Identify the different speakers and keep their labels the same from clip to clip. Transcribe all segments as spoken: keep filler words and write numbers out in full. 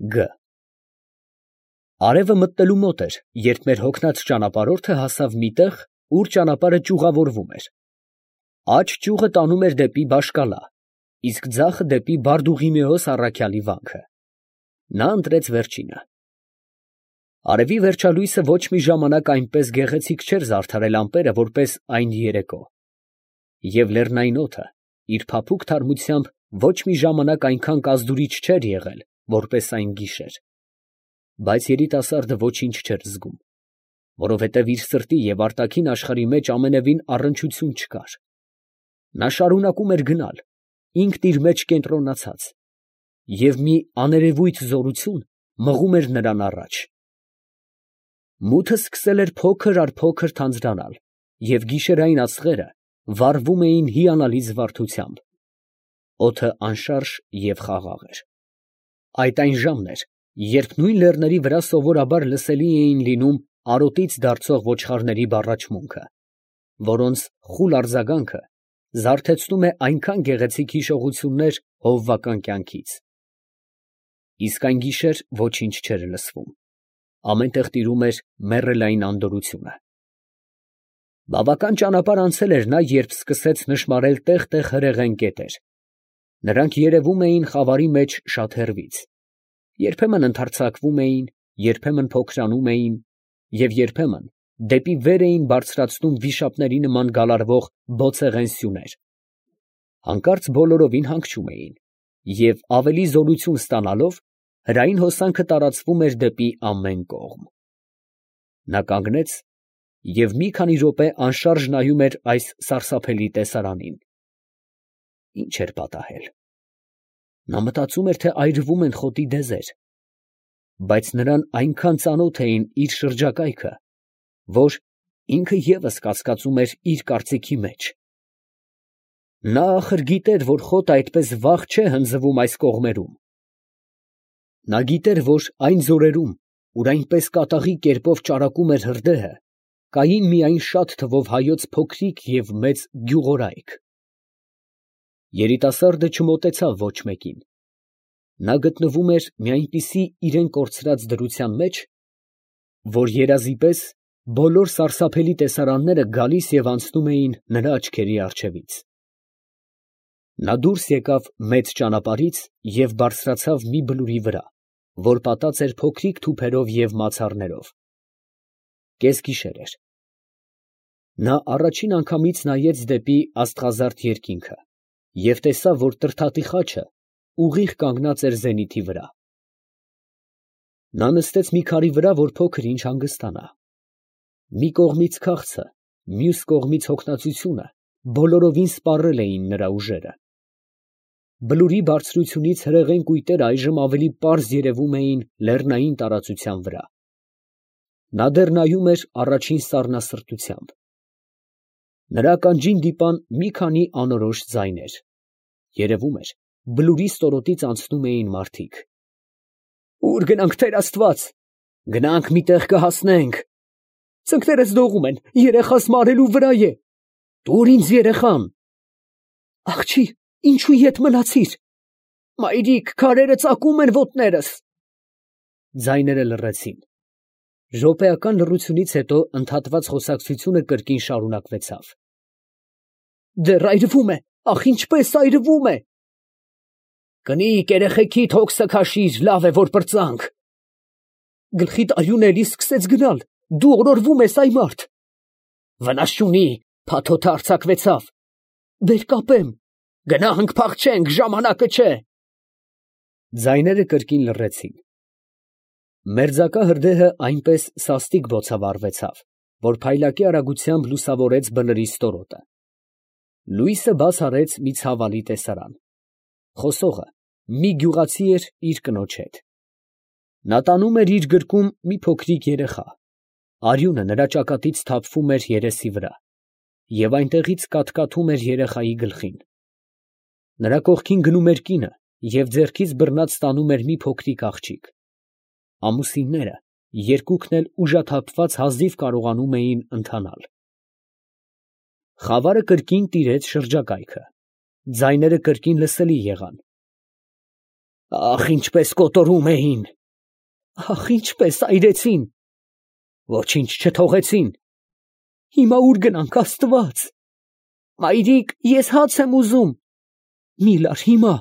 Speaker 1: Գ Արևը մտնելու մոտ էր, երբ մեր հոգնած ճանապարհորդը հասավ մի տեղ, ուր ճանապարհը ճյուղավորվում էր. աջ ճյուղը տանում էր դեպի Բաշ֊Կալա, իսկ ձախը դեպի Բարդուղիմեոս առաքյալի վանքը. նա ընտրեց վերջինը։ Արևի վերջալույսը ոչ մի ժամանակ այնպես գեղեցիկ չէր զարդարել ամպերը, որպես այն երեկո, և լեռնային օդը իր փափուկ թարմությամբ ոչ մի ժամանակ այնքան կազդուրիչ չէր եղել, որպես այն գիշեր, բայց երիտասարդը ոչինչ չէր զգում, որովհետև իր սրտի և արտաքին աշխարհի մեջ ամենևին առնչություն չկար. նա շարունակում էր գնալ, ինքն իր մեջ կենտրոնացած, և մի աներևույթ զորություն մղում էր նրան առաջ։ Մութը սկսել էր փոքր առ փոքր թանձրանալ, և գիշերային աստղերը վառվում էին հիանալի զվարթությամբ. օդը անշարժ և խաղաղ էր։ Այդ այն ժամն էր, երբ նույն լեռների վրա սովորաբար լսելի էին լինում արոտից դարձող ոչխարների բառաչմունքը, որոնց խուլ արձագանքը զարթեցնում է այնքան գեղեցիկ հիշողություններ հովվական կյանքից։ Իսկ այն գիշեր ոչինչ չէր լսվում, ամեն տեղ տիրում էր մեռելային անդորրությունը։ Բավական ճանապարհ անցել էր նա, երբ սկսեց նշմարել տեղ֊տեղ հրեղեն կետեր. նրանք երևում էին խավարի մեջ շատ հեռվից, երբեմն ընդարձակվում էին, երբեմն փոքրանում էին և երբեմն դեպի վեր էին բարձրացնում վիշապների նման գալարվող բոցեղեն սյուներ, հանկարծ բոլորովին հանգչում էին, և ավելի զորություն ստանալով, հրային հոսանքը տարածվում էր դեպի ամեն կողմ։ Նա կանգնեց և մի քանի րոպե անշարժ նայում էր այս սարսափելի տեսարանին. ի՞նչ էր պատահել։ Նա մտածում էր, թե այրվում են խոտի դեզեր, բայց նրան այնքան ծանոթ էին իր շրջակայքը, որ ինքը ևս կասկածում էր իր կարծիքի մեջ։ Նա ախր գիտեր, որ խոտը այդպես վաղ չէ հնձվում այս կողմերում. նա գիտեր, որ այն ձորերում, ուր այնպես կատաղի կերպով ճարակում էր հրդեհը, կային միայն շատ թվով հայոց փոքրիկ և մեծ գյուղորայք։ Երիտասարդը չմոտեցավ ոչ մեկին. նա գտնվում էր մի այնպիսի իրան կորցրած դրության մեջ, որ երազի պես բոլոր սարսափելի տեսարանները գալիս և անցնում էին նրա աչքերի առջևից։ Նա դուրս եկավ մեծ ճանապարհից և բարձրացավ մի բլուրի վրա, որ պատած էր փոքրիկ թուփերով և մացառներով։ Կեսգիշեր էր։ Նա առաջին անգամից նայեց դեպի աստղազարդ երկինքը և տեսավ, որ Տրդատի խաչը ուղիղ կանգնած էր զենիթի վրա։ Նա նստեց մի քարի վրա, որ փոքր ինչ հանգստանա։ Մի կողմից քաղցը, մյուս կողմից հոգնածությունը բոլորովին սպառել էին նրա ուժերը։ Բլուրի բարձրությունից հրեղեն կույտերը այժմ ավելի պարզ երևում էին լեռնային տարածության վրա։ Նա դեռ նայում էր առաջին սառնասրտությամբ։ Նրա ականջին դիպան մի քանի անորոշ ձայներ. երևում էր, բլուրի ստորոտից անցնում էին մարդիկ։ «Ո՞ւր գնանք, տեր աստված»։ «Գնանք, մի տեղ կհասնենք»։ «Ծնկներս դողում են, երեխաս մարելու վրա է»։ «Տուր ինձ երեխան»։ «Աղջի, ինչու ետ մնացիր»։ «Մայրիկ, քարերը ծակում են ոտներս»։ Ձայները լռեցին։ Րոպեական լռությունից հետո ընդհատված խոսակցությունը կրկին շարունակվեցավ. «Դեռ այրվում է, ախ, ինչպես այրվում է»։ «Կնիկ, երեխեքիդ հոգսը քաշիր, լավ է, որ պրծանք»։ «Գլխիդ արյունը էլի սկսեց գնալ, դու օրորվում ես, այ մարդ»։ «Վնաս չունի, փաթոթը արձակվեցավ»։ «Բեր կապեմ»։ «Գնանք, փախչենք, ժամանակը չէ»։ Ձայները կրկին լռեցին։ Մերձակա հրդեհը այնպես սաստիկ բոցավառվեցավ, որ փայլակի արագությամբ լուսավորեց բլրի ստորոտը։ Լույսը բաց արեց մի ցավալի տեսարան. խոսողը մի գյուղացի էր իր կնոջ հետ։ Նա տանում էր իր գրկում մի փոքրիկ երեխա, արյունը նրա ճակատից թափվում էր երեսի վրա, և այնտեղից կաթկաթում էր երեխայի գլխին։ Նրա կողքին գնում էր կինը և ձեռքից բռնած տանում էր մի փոքրիկ աղջիկ։ Ամուսինները երկուքն էլ ուժաթափված հազիվ կարողանում էին ընթանալ։ Խավարը կրկին տիրեց շրջակայքը, ձայները կրկին լսելի եղան։ Ախ, ինչպես կոտորում էին, ախ, ինչպես այրեցին, ոչինչ չթողեցին, հիմա ուր գնանք, Աստված, մայրիկ, ես հաց եմ ուզում, մի լար հիմա,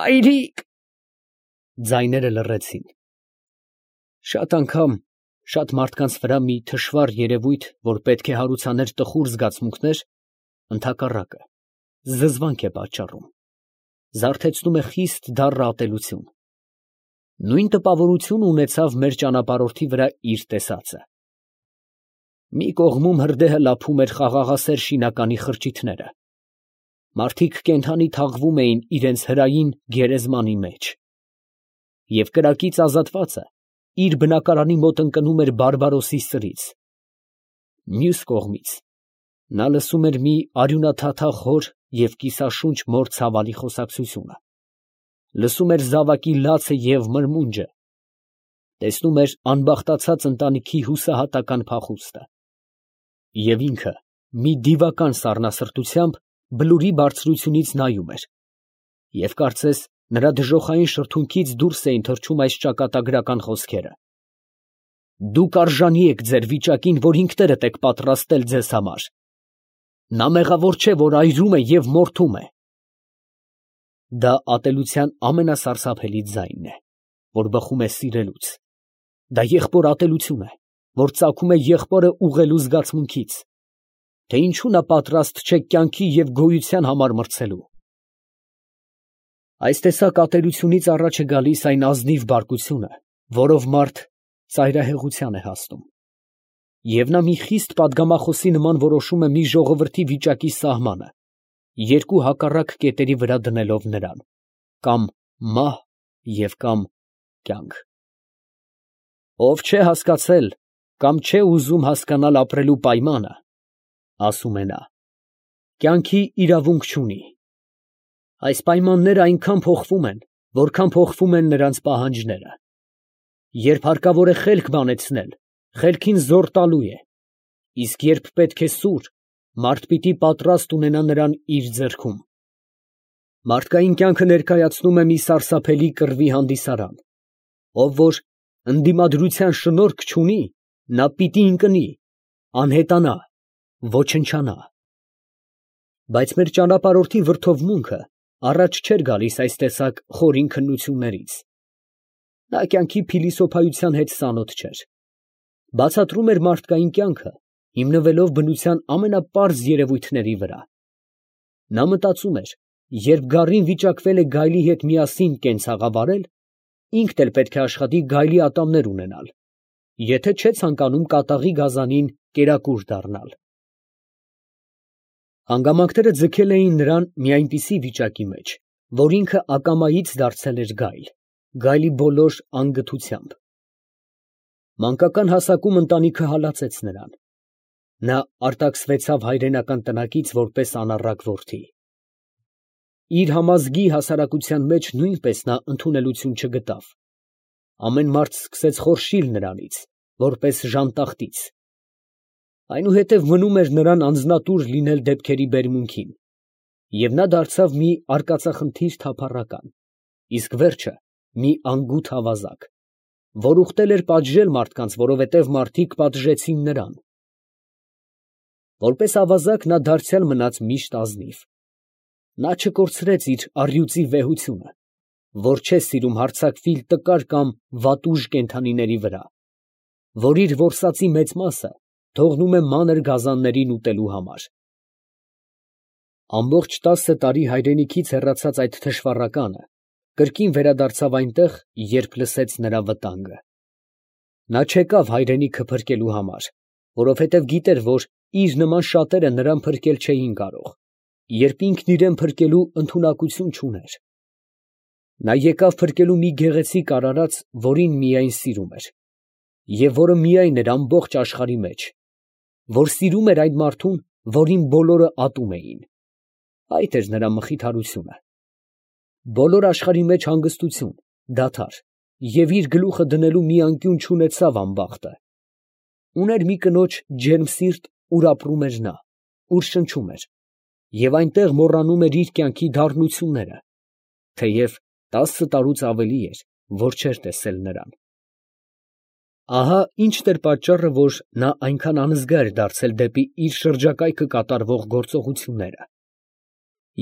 Speaker 1: մայրիկ, ձայները լռեցին, շատ անգամ, շատ մարդկանց վրա մի թշվառ երևույթ, որ պետք է հարուցաներ տխուր զգացմունքներ, ընդհակառակը, զզվանք է պատճառում, զարթեցնում է խիստ դառն ատելություն, նույն տպավորություն ունեցավ մեր ճանապարհորդի վրա իր տեսածը, մի կողմում հրդեհը լափում էր խաղաղասեր շինականի խրճիթները, մարդիկ կենդանի թաղվում էին իրենց հրային գերեզմանի մեջ, և կրակից ազատվածը իր բնակարանի մոտ ընկնում էր բարբարոսի սրից, մյուս կողմից նա լսում էր մի արյունաթաթախ հոր և կիսաշունչ մոր ցավալի խոսակցությունը, լսում էր զավակի լացը և մրմունջը, տեսնում էր անբախտացած ընտանիքի հուսահատական փախուստը, և ինքը մի դիվական սառնասրտությամբ բլուրի բարձրությունից նայում էր, և կարծես նրա դժոխային շրթունքից դուրս էին թռչում այս ճակատագրական խոսքերը. «Դուք արժանի եք ձեր վիճակին, որ ինքներդ եք պատրաստել ձեզ համար, նա մեղավոր չէ, որ այրում է և մորթում է»։ Դա ատելության ամենասարսափելի ձայնն է, որ բխում է սիրելուց, դա եղբոր ատելություն է, որ ծագում է եղբորը ուղղելու զգացմունքից, թե ինչու նա պատրաստ չէ կյանքի և գոյության համար մրցելու։ Այս տեսակ ատելությունից առաջ է գալիս այն ազնիվ բարկությունը, որով մարդ ծայրահեղության է հասնում, և նա մի խիստ պատգամախոսի նման որոշում է մի ժողովրդի վիճակի սահմանը, երկու հակառակ կետերի վրա դնելով նրան, կամ մահ և կամ կյանք։ Ով չէ հասկացել կամ չէ ուզում հասկանալ ապրելու պայմանը, ասում է նա, կյանքի իրավունք չունի։ Այս պայմանները այնքան փոխվում են, որքան փոխվում են նրանց պահանջները։ Երբ հարկավոր է խելք բանեցնել, խելքին զոռ տալու է, իսկ երբ պետք է սուր, մարդ պիտի պատրաստ ունենա նրան իր ձեռքում։ Մարդկային կյանքը ներկայացնում է մի սարսափելի կռվի հանդիսարան, ով որ ընդդիմադրության շնորք չունի, նա պիտի ընկնի, անհետանա, ոչնչանա։ Բայց մեր ճանապարհորդի վրդովմունքը առաջ չէր գալիս այս տեսակ խորին քննություններից։ Նա կյանքի փիլիսոփայության հետ ծանոթ չէր։ Բացատրում էր մարդկային կյանքը, հիմնվելով բնության ամենապարզ երևույթների վրա։ Նա մտածում էր, երբ գառին վիճակվել է գայլի հետ միասին կենցաղավարել, ինքն էլ պետք է աշխատի գայլի ատամներ ունենալ, եթե չէ ցանկանում կատաղի գազանին կերակուր դառնալ։ Հանգամանքները ձգել էին նրան մի այնպիսի վիճակի մեջ, որ ինքը ակամայից դարձել էր գայլ, գայլի բոլոր անգթությամբ։ Մանկական հասակում ընտանիքը հալածեց նրան։ Նա արտաքսվեցավ հայրենական տնակից որպես անառակ որդի։ Իր համազգի հասարակության մեջ նույնպես նա ընդունելություն չգտավ։ Ամեն մարդ սկսեց խորշիլ նրանից, որպես ժանտախտից։ Այնուհետև մնում էր նրան անձնատուր լինել դեպքերի բերմունքին, և նա դարձավ մի արկածախնդիր թափառական, իսկ վերջը մի անգութ ավազակ, որ ուխտել էր պատժել մարդկանց, որովհետև մարդիկ պատժեցին նրան։ Որպես ավազակ նա դարձյալ մնաց միշտ ազնիվ։ Նա չկորցրեց իր առյուծի վեհությունը, որ չէ սիրում հարձակվիլ տկար կամ վատուժ կենդանիների վրա, որ իր որսածի մեծ մասը թողնում է մանր գազաններին ուտելու համար։ Ամբողջ տասը տարի հայրենիքից հեռացած այդ թշվառականը կրկին վերադարձավ այնտեղ, երբ լսեց նրա վտանգը։ Նա չեկավ հայրենիքը փրկելու համար, որովհետև գիտեր, որ իր նման շատերը նրան փրկել չէին կարող, երբ ինքն իրան փրկելու ընդունակություն չուներ։ Նա եկավ փրկելու մի գեղեցիկ արարած, որին միայն սիրում էր, և որը միայն էր ամբողջ աշխարհի մեջ, որ սիրում էր այն մարդուն, որին բոլորը ատում էին։ Այդ էր նրա մխիթարությունը։ Բոլոր աշխարհի մեջ հանգստություն, դադար և իր գլուխը դնելու մի անկյուն չունեցավ անբախտը։ Ուներ մի կնոջ ջերմ սիրտ, ուր ապրում էր նա, ուր շնչում էր, և այնտեղ մոռանում էր իր կյանքի դառնությունները, թեև Տասը տարուց ավելի էր, որ չէր տեսել նրան։ Ահա ինչ էր պատճառը, որ նա այնքան անզգա էր դարձել դեպի իր շրջակայքը կատարվող գործողությունները,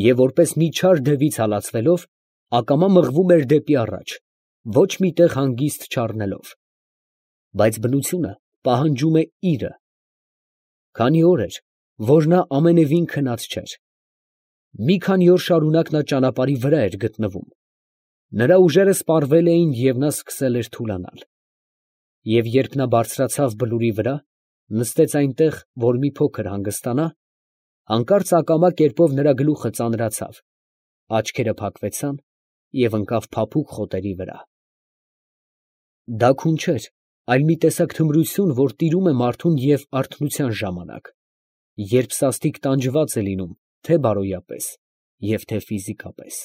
Speaker 1: և որպես մի չար դևից հալածվելով, ակամա մղվում էր դեպի առաջ, ոչ մի տեղ հանգիստ չառնելով։ Բայց բնությունը պահանջում է իրը։ Քանի օր էր, որ նա ամենևին քնած չէր։ Մի քանի օր շարունակ նա ճանապարհի վրա էր գտնվում։ Նրա ուժերը սպառվել էին, և նա սկսել էր թուլանալ։ Եվ երբ նա բարձրացավ բլուրի վրա, նստեց այնտեղ, որ մի փոքր հանգստանա, հանկարծ ակամա կերպով նրա գլուխը ծանրացավ, աչքերը փակվեցան և ընկավ փափուկ խոտերի վրա։ Դա քուն չէր, այլ մի տեսակ թմրություն, որ տիրում է մարդուն և արթնության ժամանակ, երբ սաստիկ տանջված է լինում թե՛ բարոյապես և թե՛ ֆիզիկապես։